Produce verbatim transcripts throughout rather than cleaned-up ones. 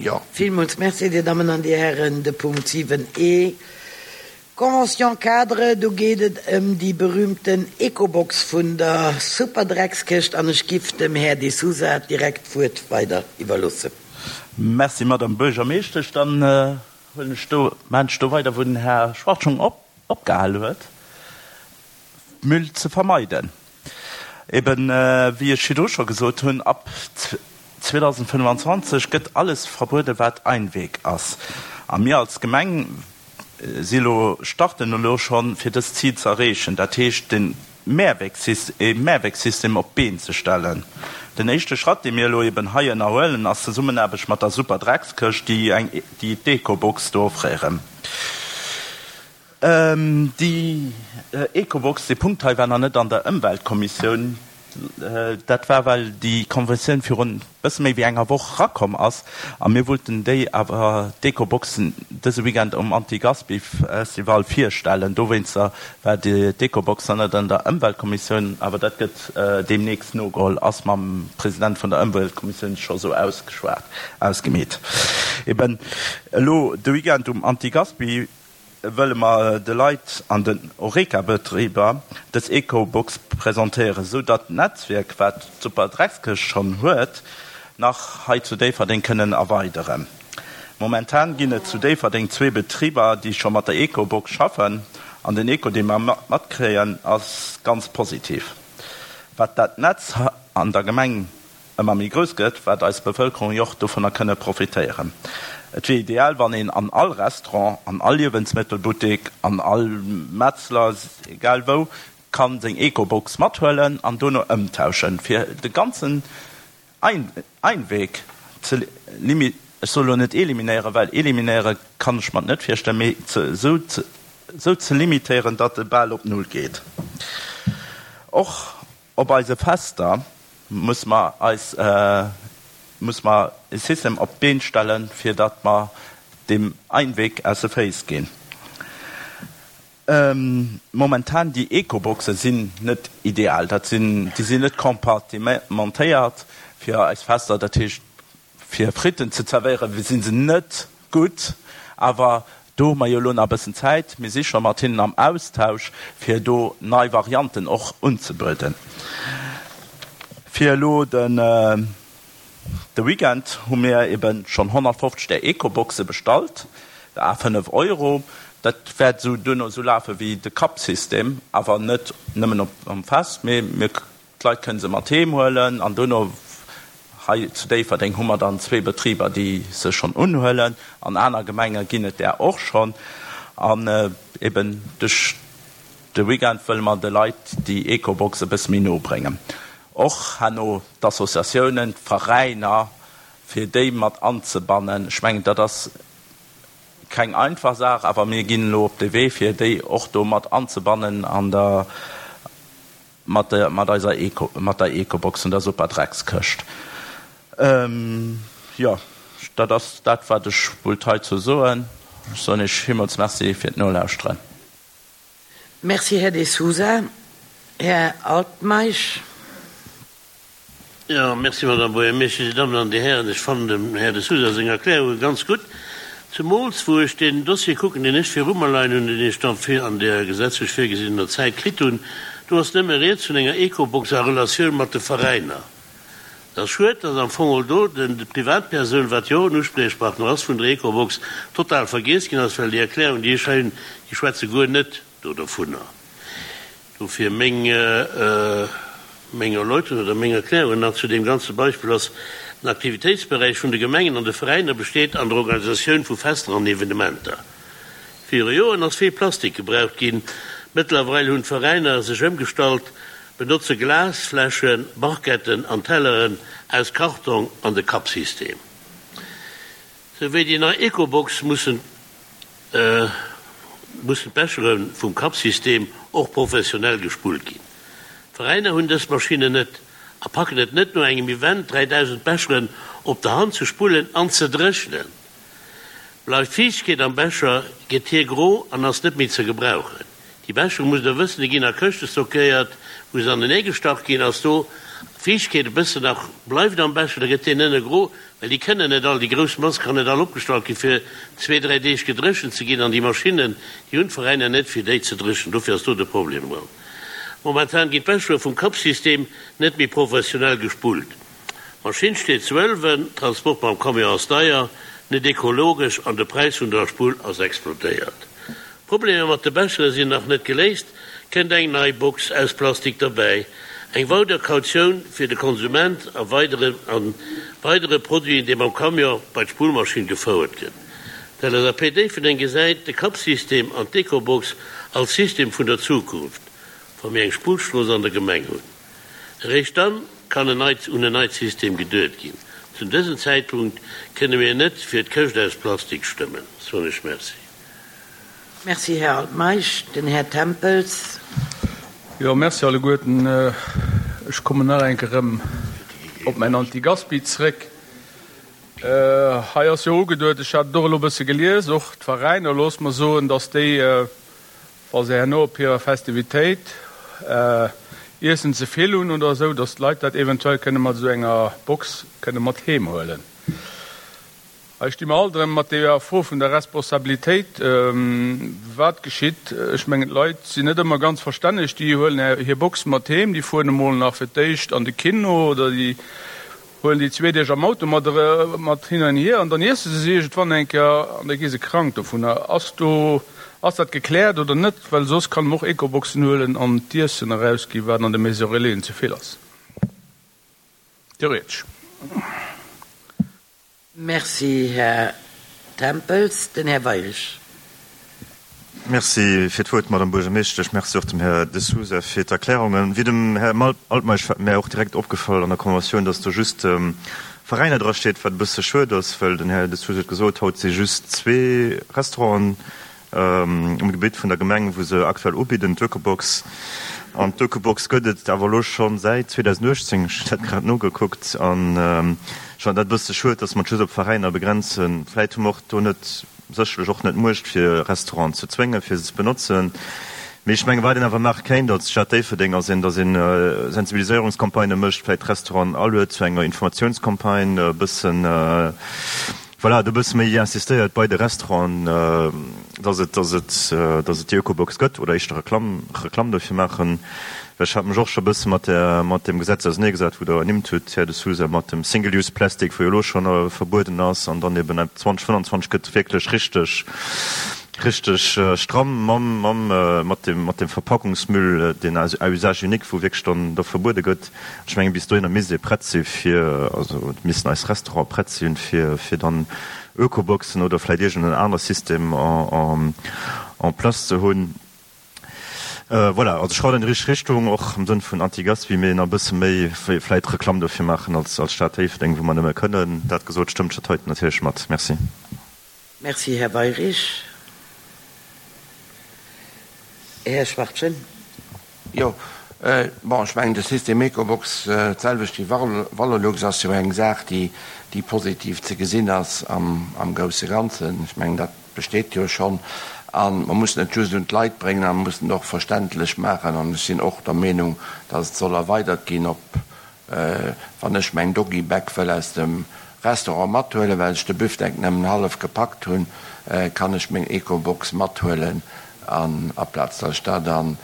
Jo. Villmools Merci, Dir Dammen an Dir Hären. De Punkt siwen e, Convention-cadre, do geet et ëm déi berühmten Ecobox vun der Superdreckskëscht an ech giff dem Här De Sousa direkt d'Wuert weider iwwerloossen. Merci, Madame Buergermeeschtesch. Dann huelen ech do, maachen ech do weider, wou den Här Schwarz schonn opgehal huet. Müll ze vermeiden. Eben, wéi ech virdru scho gesot hunn, ab zweedausendfënnefanzwanzeg gëtt alles verbueden, wat Einweg ass. A mir als Gemeng si elo, starten elo schonn, fir dëst Zil ze erreechen, dat heescht den Mehrwegsystem, e Mehrwegsystem op d'Been ze stellen. Den éischte Schratt, dee mir elo eben hei ënnerhuelen, ass d'Zesummenaarbecht mat der Superdreckskëscht, déi eng, déi d'Ecobox do offréieren. Déi Ecobox, dee Punkt hei war nach net an der Ëmweltkommissioun. Dat war, well déi Konventioun virun e bësse méi wéi enger Woch erakomm ass a mir wollten déi awer, d'Ecoboxen, dëse Weekend um Anti-Gaspi-Festival virstellen. Dowéinster war d'Ecobox nach net an der Ëmweltkommissioun, awer dat gëtt deemnächst nogeholl, ass mam President vun der Ëmweltkommissioun scho sou ausgeschwat, ausgemeet. Eben elo de Weekend um Anti-Gaspi. Wëlle mer de Leit an den Horeca-Betriber dës Ecobox presentéieren, sou datt d'Netzwierk, wat d'Superdreckskëscht schonn huet, nach hei zu Déifferdeng kënnen erweideren. Momentan ginn et zu Déifferdeng zwee Betriber, déi scho mat der Ecobox schaffen, an den Echo, dee mer matkréien, ass ganz positiv. Wat dat Netz an der Gemeng ëmmer méi grouss gëtt, waert eis Bevëlkerung jo och dovunner kënne profitéieren. Et wier ideal, wann een an all Restaurant, an all Liewensmëttelbuttek, an all Metzler, egal wou, kann seng Ecobox mathuelen an dono ëmtauschen, fir de ganzen Einweg ze limi, ech soe lo net eliminéieren, well eliminéiere kann ech mer et net virstellen, mee esou ze limitéieren, datt e bal op Null geet. Och op eise Fester muss mer eis, muss mer e System op d'Been stellen, fir datt mer deem Einweg aus de Féiss ginn. Momentan, déi Ecoboxe sinn net ideal, dat sinn, déi sinn net compartimentéiert fir eis Fester, dat heescht fir Fritten ze zerwéieren, si se net gutt, awer do hu mer jo elo nach e bëssen Zäit. Mir si scho mat hinnen am Austausch, fir do nei Varianten och unzebueden. Fir elo de Weekend hu mir eben schonn honnertfofzeg där Ecoboxe bestallt, à fënnef Euro. Dat wäert esou duerno esou lafe wéi de Cup-System, awer net nëmmen um Fest, mee mir, d'Leit kënne se mat heem huelen an duerno hei zu Déifferdeng hu mer dann zwee Betriber, déi se schonn unhuelen. An aner Gemenge ginn et där och schonn. An eben duerch de Weekend wëlle mer de Leit déi Ecobox e bësse méi no bréngen. Och herno d'Associatiounen, d'Veräiner, fir déi mat anzebannen. Ech mengen, dat ass keng einfach Saach, awer mir ginn elo op de Wee, fir déi och do mat anzebannen an der, mat der, mat eiser Eco, mat der Ecobox an der Superdreckskëscht. Jo, dat ass dat, wat ech wollt heizou soen. Ech soen Iech villmools Merci fir d'Nolauschteren. Merci, Här De Sousa. Här Altmeisch. Jo, merci, Madame Buergermeeschtesch. Dir Dammen an Dir Hären, ech fannen dem Här De Sousa seng Erklärunge ganz gutt, zemools wou ech deen Dossier kucken, deen ech viru mer leien hunn, deen ech dann an där gesetzlech virgesinnener Zäit kritt hunn. Do ass nëmme rieds vun enger Ecobox a Relatioun mat de Veräiner. Et ass schued, datt am Fong och do den d'Privatpersoun, wat jo och en Uspriechpartner ass vun der Ecobox, total vergiess ginn ass, well déi Erklärung, déi ech hei hunn, déi schwätze guer net do dovunner. Dofir meng, meng Erläuterung oder meng Erklärungen nach zu deem ganze Beispill ass, Den Aktivitéitsberäich vun de Gemengen an de Veräiner besteet an der Organisatioun vu Fester an Evenementer. Viru Joren ass vill Plastik gebraucht ginn. Mëttlerweil hunn d'Veräiner sech ëmgestallt, benotze Glasfläschen, Barquetten an Telleren aus Kartong an de Cup-System. Sou wéi déi nei Ecobox mussen mussen d'Bechere vum Cup-System och professionell gespullt ginn. D'Veräiner hunn dës Maschinnen net a packen et net no engem Event dräidausend Becheren op der Hand ze spullen an ze dréchnen. Bleift Fiichtegkeet am Becher, gëtt hie gro an ass net méi ze gebrauchen. Déi Bechere, musst der wëssen, déi ginn a Këschte stockéiert, wou se anenee gestach ginn, ass do D'Fiichtkeet e bëssen nach bleift am Becher, da gëtt deen ënne gro, well déi kënnen net all, déi grouss Mass kann net all opgestallt gi fir zwee, dräi Deeg gedréchent ze ginn an déi Maschinnen, déi hunn d'Veräiner net fir déi ze dréchnen. Dofir ass do de Problem dran. Momentan ginn d'Bechere vum Cup-System net méi professionell gespullt. D'Maschinn steet zu Ëlwen, Transport mam Camion ass deier, net ekologesch an de Präis vun der Spull ass explodéiert. D'Problemer mat de Bechere sinn nach net geléist, kënnt eng nei Box aus Plastik derbäi, eng weider Kautioun fir de Konsument a weidere an weidere Produiten, dee mam Camion bei d'Spullmaschinn gefouert gëtt. D'LSAP Déifferdeng gesäit de Cup-System an d'Ecobox als System vun der Zukunft, wa mir eng Spullstrooss an der Gemeng hunn. Eréischt dann kann en neit un en neit System geduet ginn. Zu dësem Zäitpunkt kënne mir net fir d'Këscht aus Plastik stëmmen. Soen ech Merci. Merci, Här Altmeisch. Den Här Tempels. Jo, merci alleguerten. Ech kommen nach eng Kéier erëm op mäin Antigaspi zréck. Hei ass jo ugeduet, ech hat et och elo e bësse gelies, och d'Veräiner, loosse mer soen, datt déi, wa se herno op hirer Festivitéit Iessen ze vill hunn oder esou, datt d'Leit dat eventuell kënne mat esou enger Box kënne mat heem huelen. Hei sti mer alt erëm mat deeër Fro vun der Responsabilitéit. Wat geschitt? Ech mengen, d'Leit sinn net ëmmer ganz verstänneg. Déi huelen hir Box mat heem, déi fueren emol nach fir d'éischt an de Kino oder déi huelen déi zwee Deeg am Auto mat mat hin an hier an dann iesse se se iergendwann eng Kéier an da gi se krank dovunner. Ass do, ass dat gekläert oder net? Well soss kann en och Ecoboxen huelen an d'Iessen erausginn, wat an de Maison Relaisen ze vill ass, theoretesch. Merci, Här Tempels. Den Här Weirich. Merci fir d'Wuert, Madame Buergermeeschtesch. Merci och dem Här De Sousa fir d'Erklärungen. Wéi dem Här Altmeisch war mär och direkt opgefall an der Konventioun, dass do just Veräiner drasteet, wat e bësse schued ass, well den Här De Sousa huet gesot, haut si just zwee Restauranten um Gebitt vun der Gemeng, wou se aktuell ubidden, d'Ökobox. An d'Ökobox gëtt et awer elo scho säit zweedausenduechtzéng, ech hunn dat grad nogekuckt. An ech fannen dat e bësse schued, dass mer et just op Veräiner begrenzen. Vläit hu mer och do net, sécherlech och net d'Muecht, fir Restauranten ze zwéngen, fir se ze benotzen. Mee ech mengen, wat een awer maache kéint als Stad Déifferdeng, ass een, dass een Sensibiliséierungscampagnë mécht, vläit d'Restauranten aluet zu enger Informatiounscampagne, e bëssen, voilà, do e bësse méi insistéiert bei de Restauranten, dass et, dass et, dass et déi Ökobox gëtt oder éischter Reklamm, Reklamm dofir maachen. Well ech hat mech och scho e bësse mat där, mat deem Gesetz auserneegesat, wou Der ernimmt hutt, Här De Sousa, mat dem Single-use-Plastic, wou jo elo schonn verbueden ass an dann eben ab zweedausendfënnfanzwanzeg gëtt wierklech richteg, richteg stramm mam, mam, mat dem, mat dem Verpackungsmüll, deen à usage unique, wou wierklech dann da verbuede gëtt. Ech mengen, bis dohinner misst ee prett si fir, also missten eis Restaurante prett sinn, fir, fir dann Ökoboxen oder vläicht iergend en anere System en, en place ze hunn. Voilà, also Schrauft an déi richteg Richtung, och am Sënn vun Anti-Gaspi, mee nach e bësse méi vläicht Reklamm dofir maachen als, als Stad Déifferdeng, wou mer nëmme kënnen. Dat gesot, stëmmt ech dat heiten natierlech mat. Merci. Merci, Här Weyrich. Här Schwachtgen. Jo, bon, ech mengen, de System Ecobox, d'selwecht wéi Valorlux, ass jo eng Saach, déi, déi positiv ze gesinn ass am, am grousse Ganzen. Ech mengen, dat besteet jo schonn. A mer mussen et just un d'Leit bréngen a mer mussen et och verständlech maachen. An ech sinn och der Meenung, dass et soll erweidert ginn op, wann ech meng Doggy-Bag wëll aus dem Restaurant mathuelen, well ech de Büftek nëmmen hallef gepackt hunn, kann ech meng Ecobox mathuelen an aplaz dass ech dat dann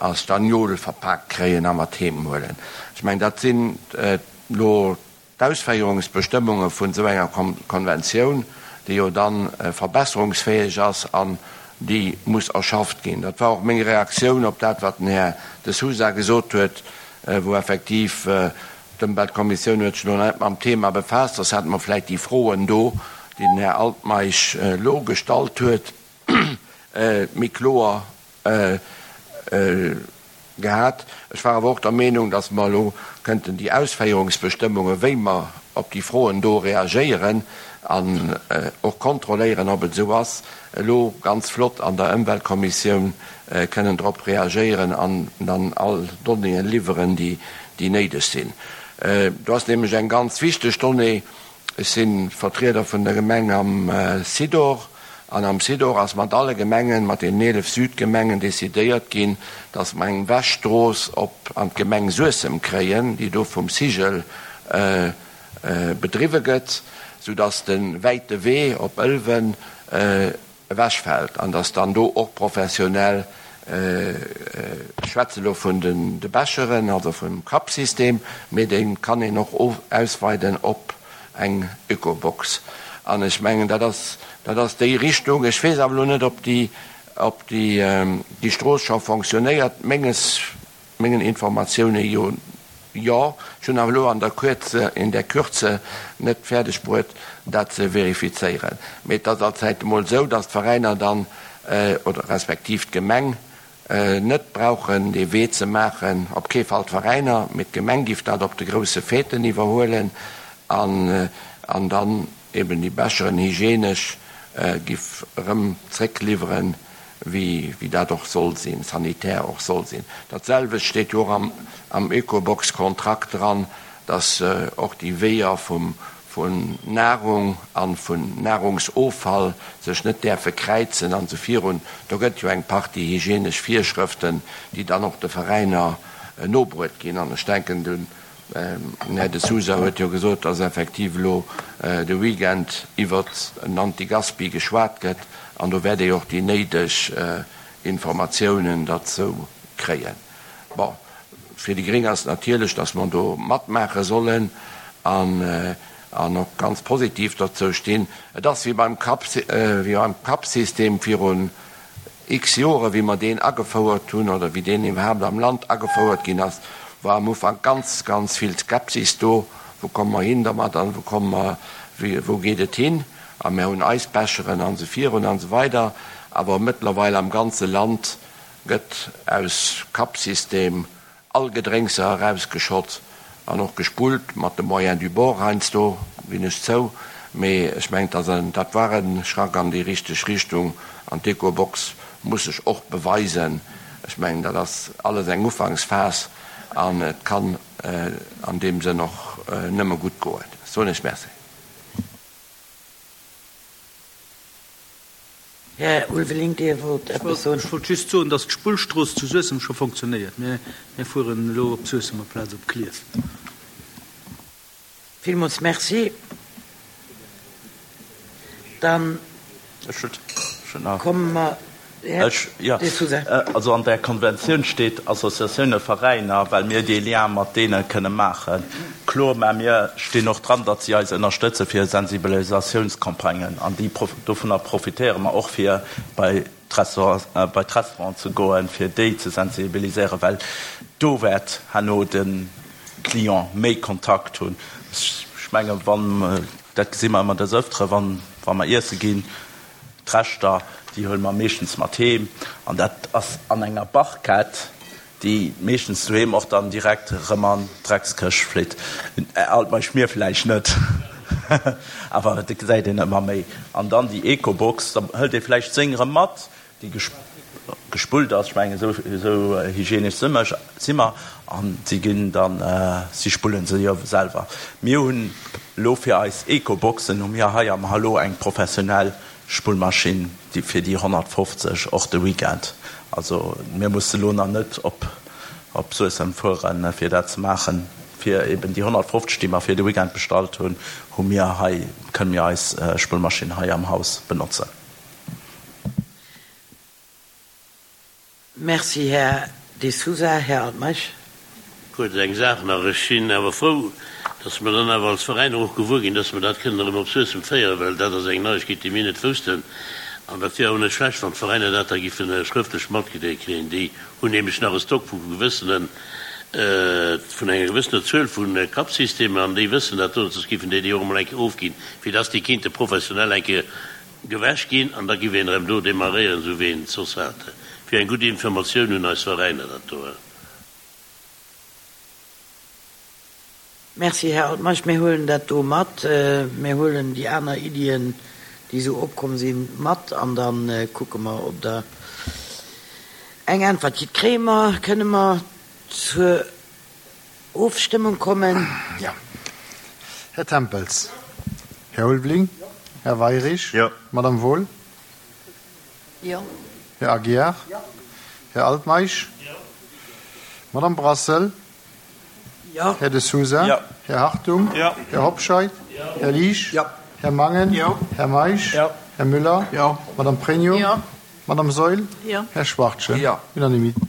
a Stagnol verpaakt kréien a mat heem huelen. Ech mengen, dat sinn elo d'Ausféierungsbestëmmunge vun esou enger Konventioun, déi jo da verbesserungsfäeg ass an déi muss erschafft ginn. Dat war och meng Reaktioun op dat, wat den Här De Sousa gesot huet, wou effektiv d'Ëmweltkommissioun huet sech elo net mam Thema befaasst, soss hätte mer vläicht déi Froen do, déi den Här Altmeisch elo gestallt huet, méi kloer gehat. Ech war awer och der Meenung, dass mer elo kënnten déi Ausféierungsbestëmmungen, wéi mer op déi Froen do reagéieren an och kontrolléieren, ob et esou ass, elo ganz flott an der Ëmweltkommissioun kënnen drop reagéieren an dann all Donnéeën liwweren, déi néideg sinn. Do ass nämlech eng ganz wichteg Donnée. Ech si Vertrieder vun der Gemeng am Sidor An am Sidor ass mat alle Gemengen, mat den eelef Südgemengen decidéiert ginn, dass mer eng Wäschstrooss op an d'Gemeng Suessem kréien, déi do vum Cigl bedriwwe gëtt, soudass de wäite Wee op Ëlwen ewechfält an dass dann do och professionell, ech schwätze elo vun de Becheren, also vum Cup-System, mee dee kann een och ausweiden op eng Ökobox. An ech mengen, dat ass, dat ass déi Richtung. Ech weess awer elo net, ob déi, ob déi, déi Strooss scho fonctionnéiert. Menges, mengen Informatioune jo, jo. Ech hunn awer elo an der Kürze, in der Kürze net fäerdeg bruet, dat ze verifizéieren. Mee et ass allzäit emol esou, dass d'Veräiner dann, oder respektiv d'Gemeng, net brauchen dee Wee ze maachen, op kee Fall d'Veräiner, mee d'Gemeng giff dat op de grousse Fêten iwwerhuelen an, an dann eben déi Becheren hygienesch giff erëm zréckliwweren, wéi, wéi dat och soll sinn, sanitär och soll sinn. Dat selwecht steet jo och am, am Ecobox-Kontrakt dran, dass och déi Weeër vum, vun Nahrung an vun Nahrungsoffall sech net däerfe kräizen an esou virun. Do gëtt jo eng Partie hygienesch Virschrëften, déi dann och de Veräiner nobruet ginn. An ech denken, den Här De Sousa huet jo gesot, dass effektiv elo de Weekend iwwert en Antigaspi geschwat gëtt an do wäert ee och déi néideg Informatiounen derzou kréien. Bon, fir déi Gréng ass et natierlech, dass mer do matmaache sollen an an och ganz positiv dozou stinn. Et ass wéi beim Cup, wéi beim Cup-System virun x Joren, wéi mer deen agefouert hunn oder wéi deen iwwerhaapt am Land agefouert ginn ass, war am Ufank ganz, ganz vill Skepsis do, Wou komme mer hin dermat an wou komme mer, wou geet et hin? A mir hunn eis Becheren an esou virun an esou weider. Awer mëttlerweil am ganze Land gëtt aus Cup-System all Gedrénkser erausgeschott an och gespullt, mat de Moyens du bord heiansdo, ginn ech zou, mee ech mengen, dass en, dat war e Schrack an déi richteg Richtung an d'Ecobox muss sech och beweisen. Ech mengen, dat ass alles eng Ufanksphas an et kann an deem Sënn och nëmme gutt goen. Soen ech Merci. Här Ulveling, Dir wollt eppes soen. Ech wollt just soen, dass d'Spullstrooss zu Suessem scho fonctionnéiert. Mir fueren elo op Suessem amplaz op Klierf. Villmools Merci. Dann komme mer, Här De Sousa. Also an där Konventioun steet Associatioune, Veräiner, well mir dee Lien mat deene kënne maachen. Kloer, mä mir stinn och dran, datt si eis ënnerstëtze fir Sensibilisatiounscampagnen an déi, dovunner profitéiere mer och fir bei d'Restaurant, bei d'Restauranten ze goen, fir déi ze sensibiliséieren, well do wäert herno de Client méi Kontakt hunn. Ech mengen, wann, dat gesi mer ëmmer des Ëftere, wann, wa mer iesse ginn, d'Reschter, déi huele mer meeschtens mat heem an dat ass an enger Barquette, déi meeschtens doheem och dann direkt erëm an d'Dreckskëscht flitt. Alt mei Schmier vläicht net, awer et gesäit een ëmmer méi. An dann déi Ecobox, da hëlt ee vläicht seng erëm mat, déi gespullt ass, ech mengen esou esou hygienesch si mer, si mer, an si ginn dann, si spullen se jo selwer. Mir hunn elo fir eis Ecoboxen hu mir hei am Hallo eng professionell Spullmaschinn, déi fir déi honnertfofzeg och de Weekend. Also mir musse lo nach net op op Suessem fueren, fir dat ze maachen. Fir eben déi honnertfofzeg, déi mer fir de Weekend bestallt hunn, hu mir hei, kënne mir eis Spullmaschinn hei am Haus benotzen. Merci, Här De Sousa. Här Altmeisch. Kuerz eng Saach nach, Ech sinn awer frou, dass mer dann awer als Veräiner och gewuer ginn, dass mer dat kënnen erëm op Suessem féieren, well dat ass eng Neiegkeet, déi mir net woussten. An dat wier awer net schlecht, wann d'Veräiner dat da giffe schrëftlech matgedeelt kréien. Déi hunn nämlech nach e Stock vu gewëssenen, vun enger gewëssener Zuel vu Cup-Systemer an déi wëssen dat do, soss giffen déi déi och emol eng Kéier ofginn, fir dass déi kinnte professionell eng Kéier gewäsch ginn an da giff een erëm do demarréieren, esou wéi een et soss hat. Wier eng gutt Informatioun un eis Veräiner dat do. Merci, Här Altmeisch. Mir huelen dat do mat. Mir huelen déi aner Iddien, déi esou opkomm sinn, mat an da kucke mer, ob Der eng Äntwert kritt. Kréie mer, kënne mer zur Ofstëmmung kommen? Jo. Här Tempels. Här Ulveling. Här Weirich. Jo. Madame Wohl. Jo. Här Aguiar? Jo. Här Altmeisch? Jo. Madame Brassel? Jo. Här De Sousa? Jo. Här Hartung? Jo. Här Hobscheit? Jo. Här Liesch? Jo. Här Mangen? Jo. Här Meisch? Jo. Här Müller? Jo. Madame Pregno? Jo. Madame Saeul? Jo. Här Schwachtgen? Jo. Unanimité.